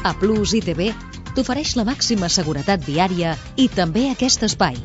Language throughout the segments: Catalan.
A Plus ITV t'ofereix la màxima seguretat viària i també aquest espai.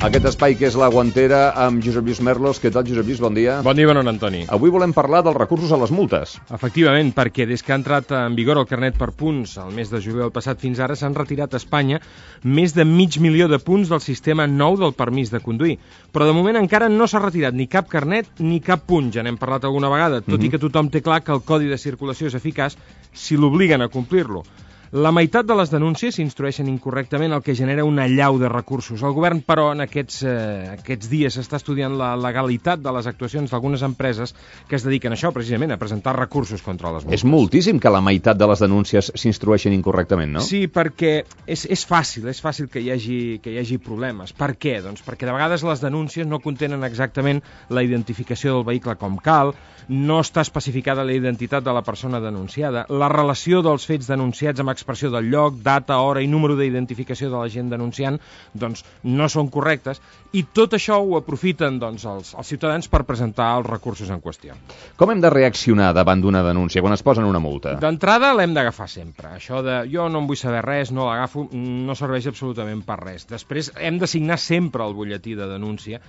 Aquest espai que és La Guantera amb Josep Lluís Merlos. Què tal, Josep Lluís? Bon dia. Bon dia, bon Antoni. Avui volem parlar dels recursos a les multes. Efectivament, perquè des que ha entrat en vigor el carnet per punts el mes de juliol passat fins ara s'han retirat a Espanya més de 500.000 de punts del sistema nou del permís de conduir. Però de moment encara no s'ha retirat ni cap carnet ni cap punt. Ja n'hem parlat alguna vegada, tot i que tothom té clar que el codi de circulació és eficaç si l'obliguen a complir-lo. La meitat de les denúncies s'instrueixen incorrectament, el que genera una allau de recursos. El govern, però, en aquests dies està estudiant la legalitat de les actuacions d'algunes empreses que es dediquen a això, precisament, a presentar recursos contra les multes. És moltíssim que la meitat de les denúncies s'instrueixen incorrectament, no? Sí, perquè és fàcil que hi hagi problemes. Per què? Doncs perquè de vegades les denúncies no contenen exactament la identificació del vehicle com cal, no està especificada la identitat de la persona denunciada, la relació dels fets denunciats amb expressió del lloc, data, hora i número d'identificació de la gent denunciant, doncs no són correctes, i tot això ho aprofiten doncs, els ciutadans per presentar els recursos en qüestió. Com hem de reaccionar davant d'una denúncia quan es posen una multa? D'entrada l'hem d'agafar sempre. Això de jo no en vull saber res, no l'agafo, no serveix absolutament per res. Després hem de signar sempre el butlletí de denúncia,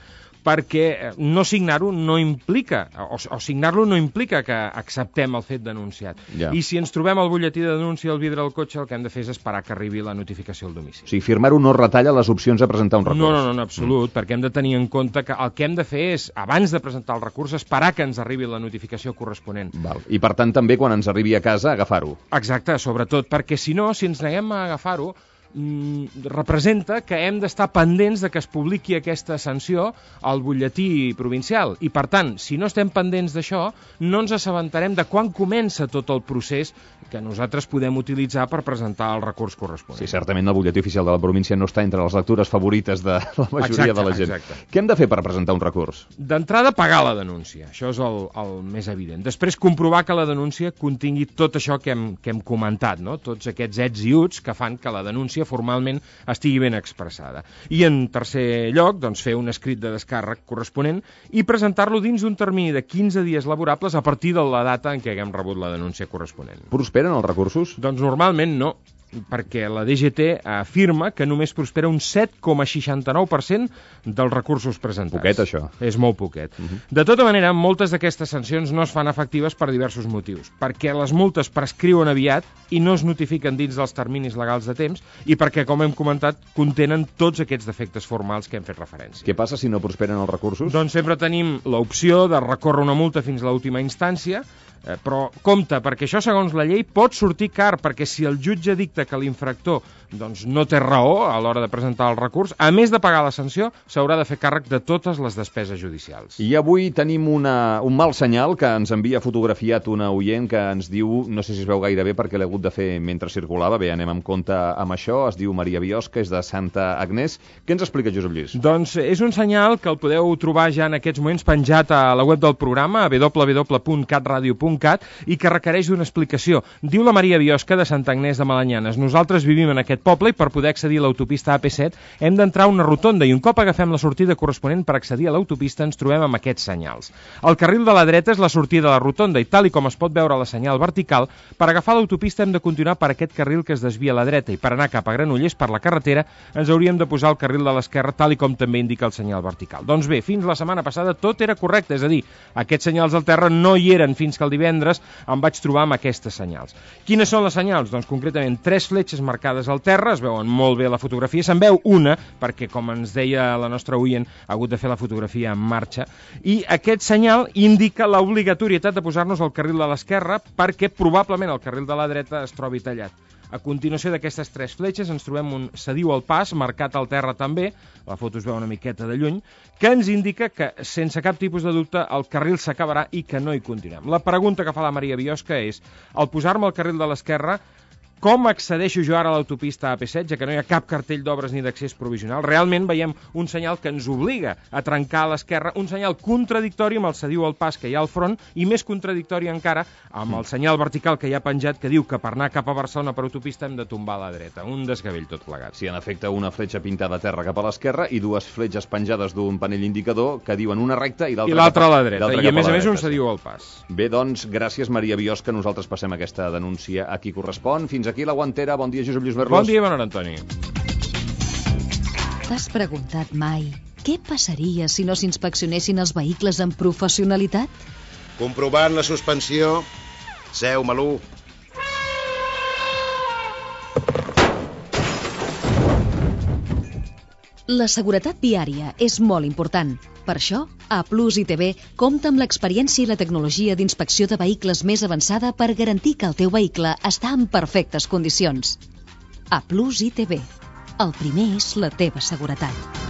perquè no signar-ho no implica, o signar-lo no implica que acceptem el fet denunciat. Ja. I si ens trobem el butlletí de denúncia al vidre del cotxe, el que hem de fer és esperar que arribi la notificació al domicili. O sigui, firmar-ho no retalla les opcions a presentar un recurs. No, en absolut, perquè hem de tenir en compte que el que hem de fer és, abans de presentar el recurs, esperar que ens arribi la notificació corresponent. Val. I per tant també quan ens arribi a casa agafar-ho. Exacte, sobretot, perquè si no, si ens neguem a agafar-ho, representa que hem d'estar pendents de que es publiqui aquesta sanció al butlletí provincial. I, per tant, si no estem pendents d'això, no ens assabentarem de quan comença tot el procés que nosaltres podem utilitzar per presentar el recurs corresponent. Sí, certament el butlletí oficial de la província no està entre les lectures favorites de la majoria de la gent. Exacte. Què hem de fer per presentar un recurs? D'entrada, pagar la denúncia. Això és el més evident. Després, comprovar que la denúncia contingui tot això que hem comentat, no? Tots aquests ets i uts que fan que la denúncia formalment estigui ben expressada. I en tercer lloc, doncs, fer un escrit de descàrrec corresponent i presentar-lo dins d'un termini de 15 dies laborables a partir de la data en què haguem rebut la denúncia corresponent. Prosperen els recursos? Doncs normalment no, perquè la DGT afirma que només prospera un 7,69% dels recursos presentats. Poquet, això. És molt poquet. De tota manera, moltes d'aquestes sancions no es fan efectives per diversos motius. Perquè les multes prescriuen aviat i no es notifiquen dins dels terminis legals de temps i perquè, com hem comentat, contenen tots aquests defectes formals que hem fet referència. Què passa si no prosperen els recursos? Doncs sempre tenim l'opció de recórrer una multa fins a l'última instància, però compte, perquè això segons la llei pot sortir car, perquè si el jutge dicta que l'infractor doncs, no té raó a l'hora de presentar el recurs, a més de pagar la sanció, s'haurà de fer càrrec de totes les despeses judicials. I avui tenim un mal senyal que ens envia fotografiat una oient que ens diu, no sé si es veu gaire bé perquè l'he hagut de fer mentre circulava, bé, anem amb compte amb això, es diu Maria Biosca, és de Santa Agnès. Què ens explica, Josep Lluís? Doncs és un senyal que el podeu trobar ja en aquests moments penjat a la web del programa, www.catradio.cat, i que requereix d'una explicació. Diu la Maria Biosca de Santa Agnès de Malanyanes: nosaltres vivim en aquest poble i per poder accedir a l'autopista AP7 hem d'entrar a una rotonda i un cop agafem la sortida corresponent per accedir a l'autopista ens trobem amb aquests senyals. El carril de la dreta és la sortida de la rotonda i tal i com es pot veure a la senyal vertical, per agafar l'autopista hem de continuar per aquest carril que es desvia a la dreta i per anar cap a Granollers per la carretera ens hauríem de posar al carril de l'esquerra tal i com també indica el senyal vertical. Doncs bé, fins la setmana passada tot era correcte, és a dir, aquests senyals al terra no hi eren fins que el divendres em vaig trobar amb aquestes senyals. Quines són les senyals? Doncs concretament 3 fletxes marcades al terra, es veuen molt bé a la fotografia, se'n veu una, perquè com ens deia la nostra oient, ha hagut de fer la fotografia en marxa, i aquest senyal indica l'obligatorietat de posar-nos al carril de l'esquerra perquè probablement el carril de la dreta es trobi tallat. A continuació d'aquestes 3 fletxes ens trobem un s'adiu al pas, marcat al terra també, la foto es veu una miqueta de lluny, que ens indica que, sense cap tipus de dubte, el carril s'acabarà i que no hi continuem. La pregunta que fa la Maria Biosca és, al posar-me al carril de l'esquerra, Com accedeixo jo ara a l'autopista AP16, ja que no hi ha cap cartell d'obres ni d'accés provisional? Realment veiem un senyal que ens obliga a trencar a l'esquerra, un senyal contradictori amb el cediu al pas que hi ha al front i més contradictori encara amb el senyal vertical que hi ha penjat que diu que per anar cap a Barcelona per autopista hem de tombar a la dreta. Un desgavell tot plegat. Sí, en efecte, una fletxa pintada a terra cap a l'esquerra i dues fletxes penjades d'un panell indicador que diuen una recta i l'altra a la dreta. I a més un cediu al pas. Bé, doncs, gràcies Maria Biosca. Nosaltres passem aquesta denúncia a qui correspon. Fins aquí la Guantera. Bon dia, Josep Lluís Merlos. Bon dia, bon hora, Antoni. T'has preguntat mai què passaria si no s'inspeccionessin els vehicles amb professionalitat? Comprovant la suspensió. Seu, Malú. La seguretat viària és molt important. Per això, A+ ITV compta amb l'experiència i la tecnologia d'inspecció de vehicles més avançada per garantir que el teu vehicle està en perfectes condicions. A+ ITV. El primer és la teva seguretat.